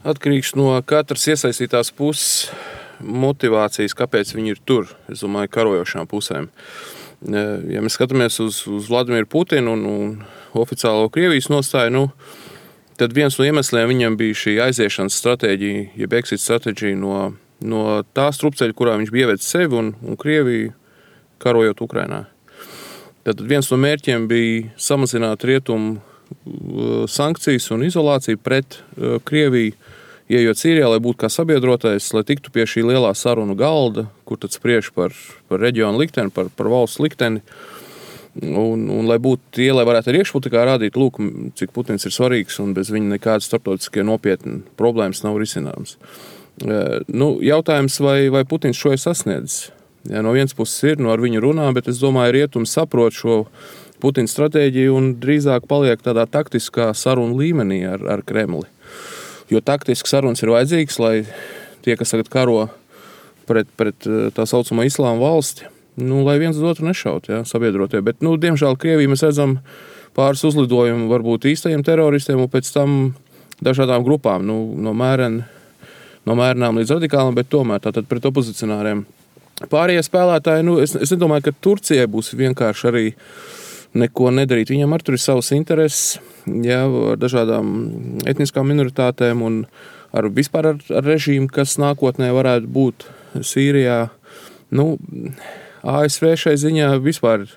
atkarīgs no katras iesaistītās puses motivācijas, kāpēc viņi ir tur, es domāju, karojošām pusēm. Ja mēs skatāmies uz Vladimiru Putinu un oficiālo Krievijas nostāju, tad viens no iemesliem viņam bija šī aiziešanas stratēģija, jeb exit stratēģija no tā strupceļa, kurā viņš bija ievedis sevi un Krieviju karojot Ukrainā. Tad viens no mērķiem bija samazināt rietumu sankcijas un izolāciju pret Krieviju, ieejot Sīrijā, lai būtu kā sabiedrotais, lai tiktu pie šī lielā sarunu galda, kur tad spriež par reģionu likteni, par valsts likteni, un lai būtu tie, lai varētu arī iekšpolitikā rādīt, lūk, cik Putins ir svarīgs, un bez viņa nekādas starptautiskie nopietni problēmas nav risināmas. Jautājums, vai Putins šo ir sasniedzis? Ja, no vienas puses ir, ar viņu runā, bet es domāju, rietumi saprot šo Putina stratēģiju un drīzāk paliek tādā taktiskā sarunu līmenī ar Kremli. Jo taktiski sarunas ir vajadzīgas, lai tie, kas tagad karo pret tā saucamo islāma valsti, lai viens uz otru nešaut, ja, sabiedrotie. Bet, diemžēl, Krievijā mēs redzam pāris uzlidojumu varbūt īstajiem teroristiem un pēc tam dažādām grupām, no mērenām līdz radikālam, bet tomēr tātad pret opozicionāriem. Pārējie spēlētāji, es nedomāju, ka Turcijai būs vienkārši arī neko nedarīt. Viņam arī tur ir savas intereses, ja, ar dažādām etniskām minoritātēm un vispār ar režīmu, kas nākotnē varētu būt Sīrijā. ASV šai ziņā vispār,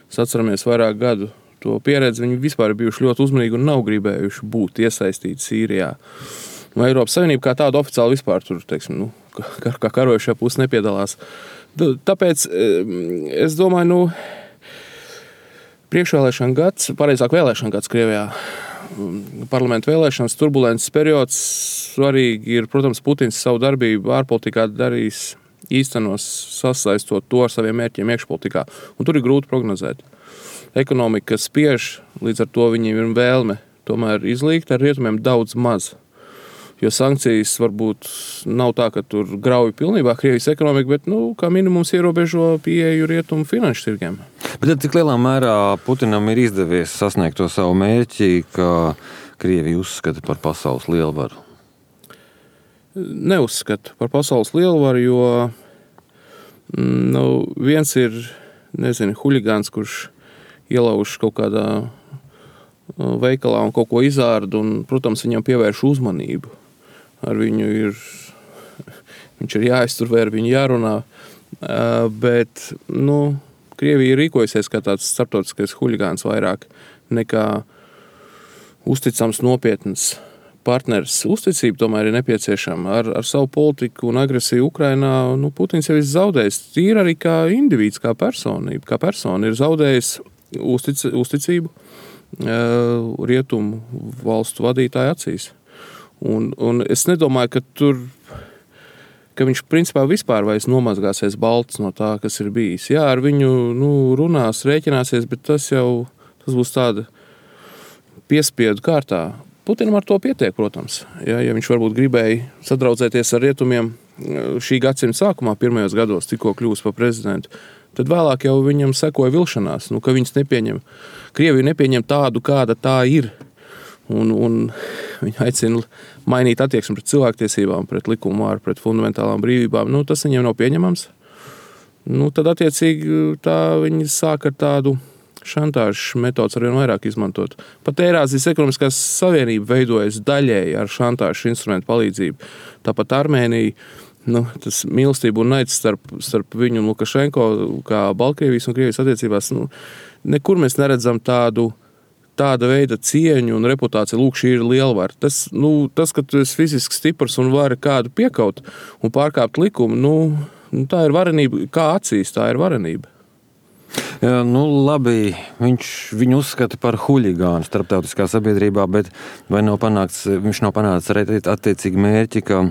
atceramies vairāk gadu to pieredzi, viņi vispār ir bijuši ļoti uzmanīgi un nav gribējuši būt iesaistīti Sīrijā. Eiropas Savienība kā tāda oficiāli vispār tur, teiksim, kā karojušā puse nepiedalās. Tāpēc es domāju, priekšvēlēšana gads, pareizāk vēlēšana gads Krievijā, parlamentu vēlēšanas, turbulences periods, svarīgi ir, protams, Putins savu darbību ārpolitikā darīs īstenos sasaistot to ar saviem mērķiem iekšpolitikā. Un tur ir grūti prognozēt. Ekonomika spiež, līdz ar to viņiem ir vēlme tomēr izlīgt, ar rietumiem daudz maz. Jo sankcijas varbūt nav tā, ka tur grauj pilnībā Krievijas ekonomika, bet, kā minimums ierobežo pieeju rietumu finanšu tirgiem. Bet cik lielā mērā Putinam ir izdevies sasniegt to savu mērķi, ka Krieviju uzskata par pasaules lielvaru? Neuzskata par pasaules lielvaru, jo viens ir, huligāns, kurš ielauž kaut kādā veikalā un kaut ko izārda, un, protams, viņam pievērš uzmanību. Ar viņu viņš ir jāizturvē, ar viņu jārunā, bet, Krievija ir rīkojusies kā tāds starptautiskais huligāns vairāk nekā uzticams nopietns partners. Uzticība tomēr ir nepieciešama. Ar savu politiku un agresiju Ukrainā, Putins jau ir zaudējis tīri arī kā indivīds, kā personība. Kā persona ir zaudējis uzticību rietumu valstu vadītāju acīs. Un es nedomāju, ka viņš principā vispār vairs nomazgāsies balts no tā, kas ir bijis. Jā, ar viņu runās, rēķināsies, bet tas būs tāda piespiedu kārtā. Putinam ar to pietiek, protams. Ja viņš varbūt gribēja sadraudzēties ar rietumiem šī gadsimta sākumā, pirmajos gados, tikko kļūst par prezidentu, tad vēlāk jau viņam sekoja vilšanās, ka viņas Krievija nepieņem tādu, kāda tā ir. Un viņi aicina mainīt attieksmi pret cilvēktiesībām, pret likumu vāru, pret fundamentālām brīvībām. Tas viņiem nav pieņemams. Tad attiecīgi tā viņi sāk ar tādu šantāžas metodas arvien vairāk izmantot. Pat Eirāzijas ekonomiskās savienība veidojas daļēji ar šantāžas instrumentu palīdzību. Tāpat Armēnija, tas mīlestība un naids starp viņu un Lukašenko, kā Baltkrievijas un Krievijas attiecībās, nekur mēs neredzam tāda veida cieņu un reputāciju, lūk, šī ir lielvara. Tas, ka tu esi fiziski stiprs un vari kādu piekaut un pārkāpt likumu, tā ir varenība, kā acīs, tā ir varenība. Jā, labi, viņu uzskata par huligānu starptautiskā sabiedrībā, bet vai viņš nav panācis arī attiecīgi mērķi, ka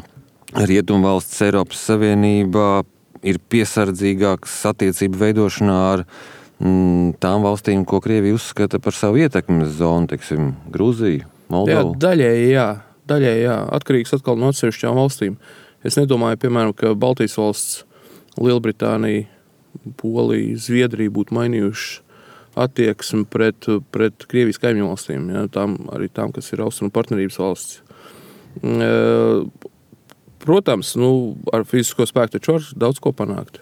Rietumvalsts Eiropas Savienībā ir piesardzīgāks attiecību veidošanā ar tām valstīm, ko Krievija uzskata par savu ietekmes zonu, teiksim, Grūziju, Moldovu? Jā, daļēji jā. Atkarīgs atkal no atsevišķām valstīm. Es nedomāju, piemēram, ka Baltijas valsts, Lielbritānija, Polija, Zviedrija būtu mainījuši attieksmi pret Krievijas kaimiņu valstīm, ja, arī tām, kas ir austrumu partnerības valsts. Protams, ar fizisko spēku taču var daudz ko panākt.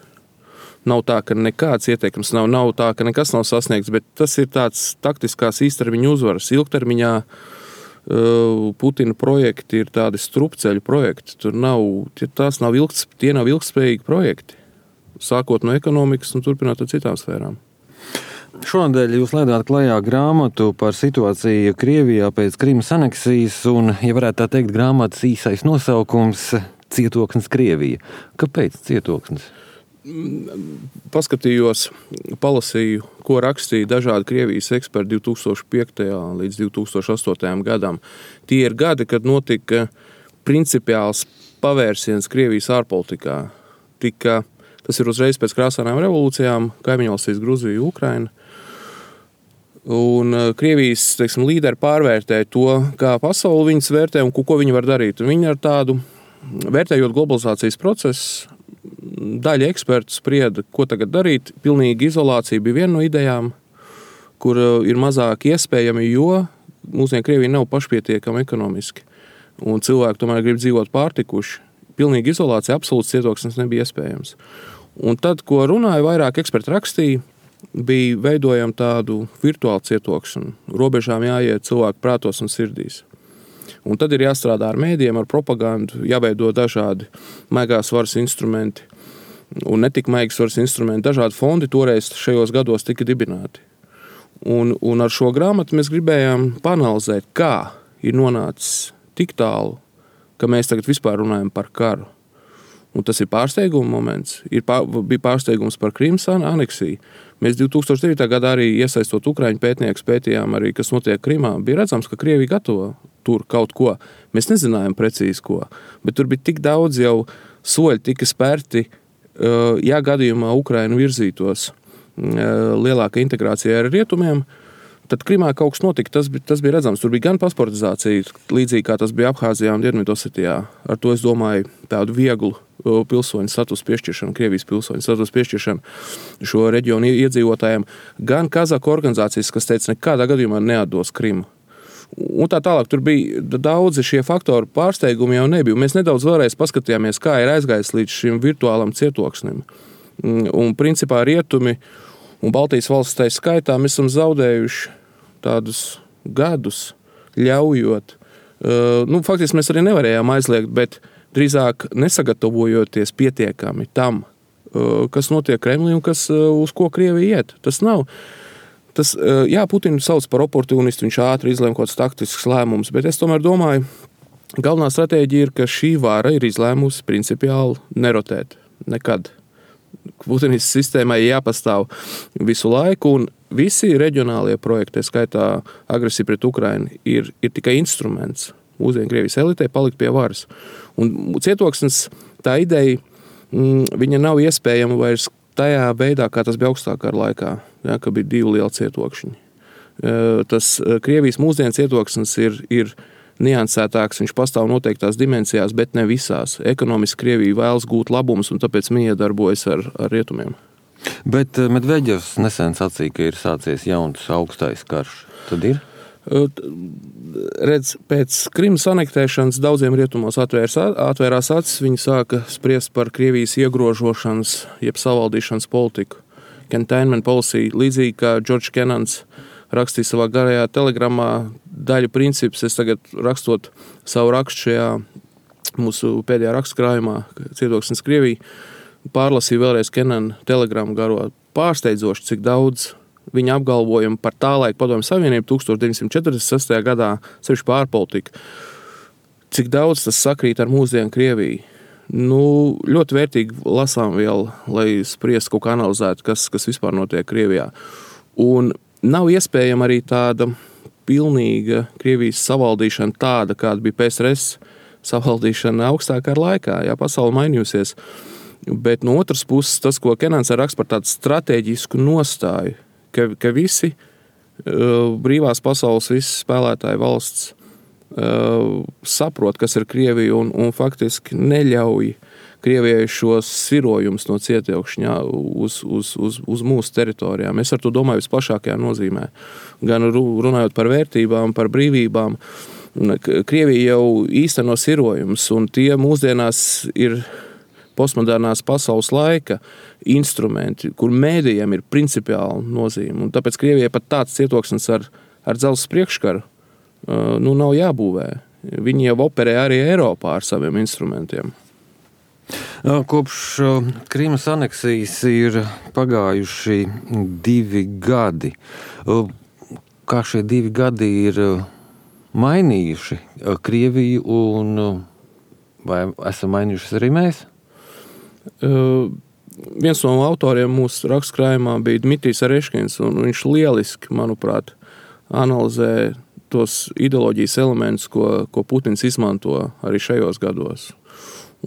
Nav tā, ka nekāds ieteikums nav tā, ka nekas nav sasniegts, bet tas ir tāds taktiskās īstermiņa uzvaras. Ilgtermiņā Putina projekti ir tādi strupceļu projekti. Tie nav ilgtspējīgi projekti. Sākot no ekonomikas un turpināt ar citām sfērām. Šonadēļ jūs laidāt klajā grāmatu par situāciju Krievijā pēc Krimas aneksijas, un, ja varētu tā teikt, grāmatas īsais nosaukums – Cietoksnis Krievija. Kāpēc cietoksnis? Paskatījos, palasīju, ko rakstīja dažādi Krievijas eksperti 2005. līdz 2008. gadam. Tie ir gadi, kad notika principiāls pavērsiens Krievijas ārpolitikā. Tas ir uzreiz pēc krāsainām revolūcijām, kaimiņvalstīs Gruzija, Ukraina. Un Krievijas, līderi pārvērtēja to, kā pasauli viņas vērtē un ko viņi var darīt. Un viņi ar tādu, vērtējot globalizācijas procesu, daļa ekspertu sprieda, ko tagad darīt. Pilnīga izolācija bija viena no idejām, kur ir mazāk iespējami, jo mūsdien Krievija nav pašpietiekama ekonomiski. Un cilvēki tomēr grib dzīvot pārtikuši. Pilnīga izolācija, absolūts cietoksnis nebija iespējams. Un tad, ko runāja, vairāk eksperti rakstīja, bija veidojama tādu virtuālu cietoksni. Robežām jāiet cilvēku prātos un sirdīs. Un tad ir jāstrādā ar mēdījiem, ar propagandu, jāveido dažādi maigās varas instrumenti. Un ne tik maigas varas instrumenti, dažādi fondi toreiz šajos gados tika dibināti. Un ar šo grāmatu mēs gribējām panalizēt, kā ir nonācis tik tālu, ka mēs tagad vispār runājam par karu. Un tas ir pārsteiguma moments. Bija pārsteigums par Krimas aneksiju. Mēs 2009. gadā arī iesaistot ukraiņu pētniekus pētījām arī, kas notiek Krimā. Bija redzams, ka Krievija gatavo tur kaut ko. Mēs nezinājām precīzi ko, bet tur bija tik daudz jau soļi tika spērti, ja gadījumā Ukraina virzītos lielāka integrācija ar rietumiem, tad Krimā kaut kas notika, tas bija redzams. Tur bija gan pasportizācija, līdzīgi kā tas bija Abhāzijā un Dienvidosetijā. Ar to es domāju tādu vieglu pilsoņu status piešķiršanu, Krievijas pilsoņu status piešķiršanu šo reģionu iedzīvotājiem. Gan Kazaku organizācijas, kas teica, nekādā gadījumā neatdos Krimu. Un tā tālāk tur bija daudzi šie faktori, pārsteigumi jau nebija. Mēs nedaudz vēlreiz paskatījāmies, kā ir aizgājis līdz šim virtuālam cietoksnim. Un principā rietumi un Baltijas valsts tai skaitā mēs esam zaudējuši tādus gadus, ļaujot. Faktiski mēs arī nevarējām aizliegt, bet drīzāk nesagatavojoties pietiekami tam, kas notiek Kremlī un uz ko Krievija iet. Tas nav. Putinu sauc par oportunistu, viņš ātri izlēma kaut kāds taktisks lēmums, bet es tomēr domāju, galvenā stratēģija ir, ka šī vara ir izlēmusi principiāli nerotēt nekad. Putinistas sistēmai jāpastāv visu laiku, un visi reģionālie projekti, skaitā agresija pret Ukrainu, ir tikai instruments mūsdienu Krievijas elitei palikt pie varas. Un cietoksnis, tā ideja, viņa nav iespējama vairs tajā veidā, kā tas bija augstākā laikā, ka bija 2 lieli cietokšņi. Tas Krievijas mūsdienu cietoksnis ir niansētāks, viņš pastāv noteiktās dimensijās, bet ne visās. Ekonomiski Krievija vēlas gūt labumus un tāpēc miedarbojas ar rietumiem. Bet Medveģevs nesen sacīja, ka ir sācies jauns augstais karš. Tad ir? Redz, pēc Krimas anektēšanas daudziem rietumos atvērās acis, viņi sāka spriest par Krievijas iegrožošanas, jeb savaldīšanas politiku. Containment policy, līdzīgi kā George Kennans rakstīja savā garajā telegramā daļu principus. Es tagad rakstot savu rakstu šajā mūsu pēdējā rakstkrājumā, Cietoksnis Krievija, pārlasīju vēlreiz Kenana telegramu garo. Pārsteidzoši, cik daudz viņa apgalvojumu par tā laika Padomju Savienību 1946. gadā, sevišķi pārpolitika. Cik daudz tas sakrīt ar mūsdienu Krieviju. Ļoti vērtīgi lasām vēl, lai spriest kaut kā analizētu, kas vispār notiek Krievijā. Un nav iespējama arī tāda pilnīga Krievijas savaldīšana tāda, kāda bija PSRS savaldīšana augstākā laikā. Jā, pasaule mainījusies. Bet no otras puses, tas, ko Kenans raksta par tādu strateģisku nostāju, ka visi brīvās pasaules, visi spēlētāji valsts saprot, kas ir Krievija un faktiski neļauj Krievijai šos sirojumus no cietoksņa uz mūsu teritorijām. Es ar to domāju visplašākajā nozīmē. Gan runājot par vērtībām, par brīvībām, Krievija jau īsteno sirojumus, un tie mūsdienās ir postmodernās pasaules laika instrumenti, kur mēdījiem ir principiāla nozīme. Un tāpēc Krievijai pat tāds cietoksnis ar dzelzs priekškaru nav jābūvē. Viņi jau operē arī Eiropā ar saviem instrumentiem. Kopš Krīmas aneksijas ir pagājuši 2 gadi. Kā šie 2 gadi ir mainījuši Krieviju un vai esam mainījušas arī mēs? Viens no autoriem mūsu rakstkrājumā bija Dmitrijs Areškins, un viņš lieliski, manuprāt, analizē tos ideoloģijas elementus, ko Putins izmanto arī šajos gados.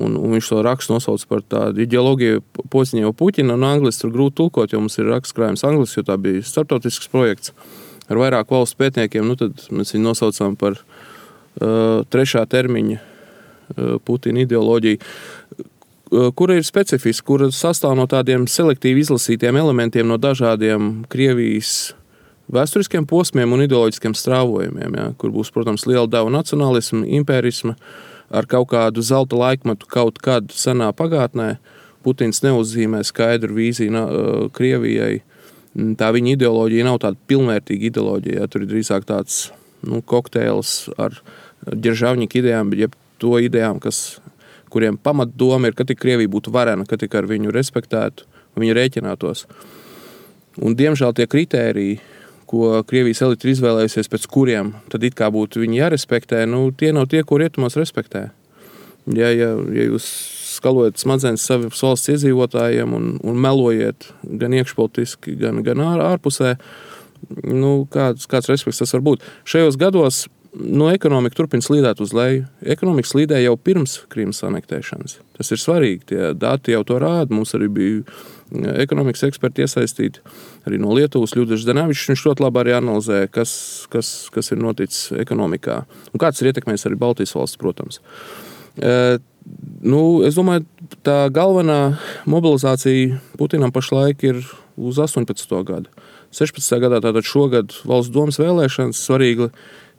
Un viņš to rakstu nosauc par tādu ideoloģiju Poziņevo Puķina, un angliski tur grūti tulkot, jo mums ir rakstkrājums angliski, jo tā bija starptautisks projekts ar vairāk valstu pētniekiem. Tad mēs viņu nosaucām par 3. termiņa Putina ideoloģiju, kura ir specifiska, kura sastāv no tādiem selektīvi izlasītiem elementiem no dažādiem Krievijas vēsturiskiem posmiem un ideoloģiskiem strāvojumiem, ja, kur būs, protams, liela deva nacionālisma, impērisma, ar kaut kādu zelta laikmetu kaut kad senā pagātnē. Putins neuzzīmē skaidru vīziju Krievijai. Tā viņa ideoloģija nav tāda pilnvērtīga ideoloģija. Ja, tur ir drīzāk tāds kokteils ar ģeržavņika idejām, jeb to idejām, kuriem pamatdoma ir, ka tik Krievija būtu varena, ka tik ar viņu respektētu, viņu rēķinātos. Un, diemžēl, tie kritēriji, ko Krievijas elite ir izvēlējusies, pēc kuriem tad it kā būtu viņi jārespektē, tie nav tie, ko rietumos respektē. Ja jūs skalojat smadzenes savas valsts iedzīvotājiem un melojiet gan iekšpolitiski, gan ārpusē, kāds respekts tas var būt. Šajos gados ekonomika turpina slīdēt uz leju. Ekonomika slīdēja jau pirms Krīmas anektēšanas. Tas ir svarīgi, tie dati jau to rāda. Mums arī bija ekonomikas eksperti iesaistīti, arī no Lietuvas Ļudvigs Zdenevičs. Viņš ļoti labi arī analizē, kas ir noticis ekonomikā. Un kāds ir ietekmējis arī Baltijas valsts, protams. Es domāju, tā galvenā mobilizācija Putinam pašlaik ir uz 18. gadu. 16. gadā, tātad šogad valsts domas vēlēšanas, svarīgi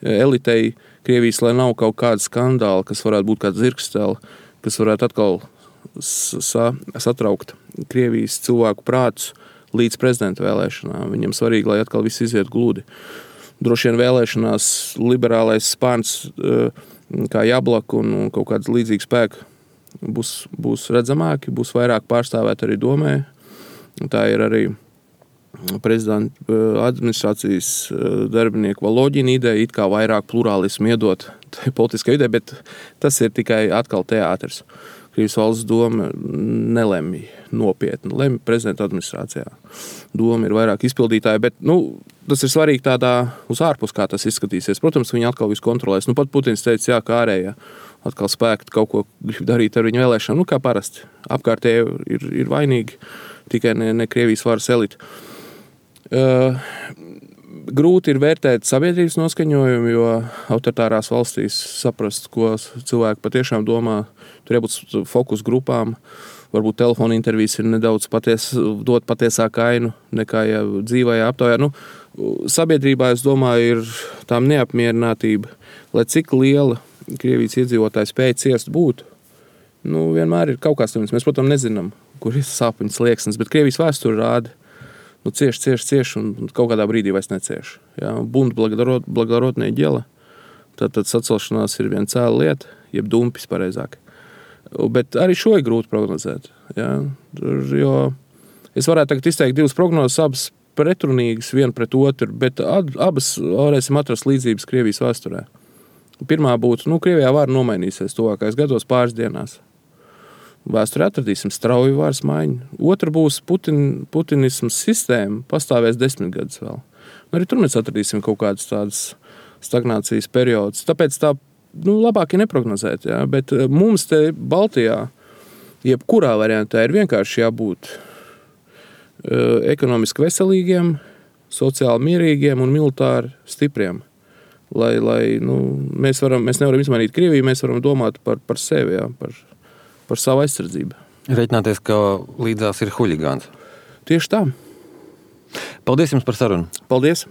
elitei Krievijas, lai nav kaut kāda skandāla, kas varētu būt kāda zirgstela, kas varētu atkal satraukt Krievijas cilvēku prātus līdz prezidenta vēlēšanām. Viņam svarīgi, lai atkal viss iziet gludi. Droši vien vēlēšanās liberālais spārns kā Jablak un kaut kāds līdzīgs spēki būs redzamāki, būs vairāk pārstāvēt arī domē. Tā ir arī prezidenta administrācijas darbinieku Valoģina ideja, it kā vairāk plurālismu iedot politiskai ideja, bet tas ir tikai atkal teātris. Krievijas valsts doma nelemj nopietni, lemj prezidenta administrācijā. Doma ir vairāk izpildītāji, bet tas ir svarīgi tādā uz ārpus, kā tas izskatīsies. Protams, viņi atkal visu kontrolēs. Pat Putins teica, jā, kā ārējā atkal spēki kaut ko grib darīt ar viņu vēlēšanu. Kā parasti. Apkārtēji ir vainīgi, tikai ne Krievijas varas elite. Grūti ir vērtēt sabiedrības noskaņojumu, jo autoritārās valstīs saprast, ko cilvēki patiešām domā. Tur jābūt fokus grupām. Varbūt telefona intervijas ir nedaudz dot patiesāku ainu nekā dzīvajā aptaujā. Sabiedrībā, es domāju, ir tām neapmierinātība, lai cik liela Krievijas iedzīvotāja spēja ciest būt. Vienmēr ir kaut kāds līmenis. Mēs, protams, nezinām, kur ir sāpeņas slieksnis, bet Krievijas vēsture rāda. Cieš, un kaut kādā brīdī vairs necieš. Ja? Bunt благородное дело. Tad sacelšanās ir viena cēla lieta, jeb dumpis pareizāk. Bet arī šo ir grūti prognozēt. Ja? Jo es varētu tagad izteikt 2 prognozes, abas pretrunīgas, viena pret otru, bet abas varēsim atrast līdzības Krievijas vēsturē. Pirmā būtu, Krievijā vara nomainīsies tuvākais gados pāris dienās. Vēsturē atradīsim strauju varas maiņu. Otra būs putinismas sistēma, pastāvēs 10 gadus vēl. Arī tur mēs atradīsim kaut kādas tādas stagnācijas periodus. Tāpēc tā labāk ir neprognozēt. Ja? Bet mums te Baltijā, jebkurā variantā, ir vienkārši jābūt ekonomiski veselīgiem, sociāli mierīgiem un militāri stipriem. Lai mēs nevaram izmainīt Krieviju, mēs varam domāt par sevi, ja? Par savu aizsardzību. Reiķināties, ka līdzās ir huligāns. Tieši tā. Paldies jums par sarunu. Paldies.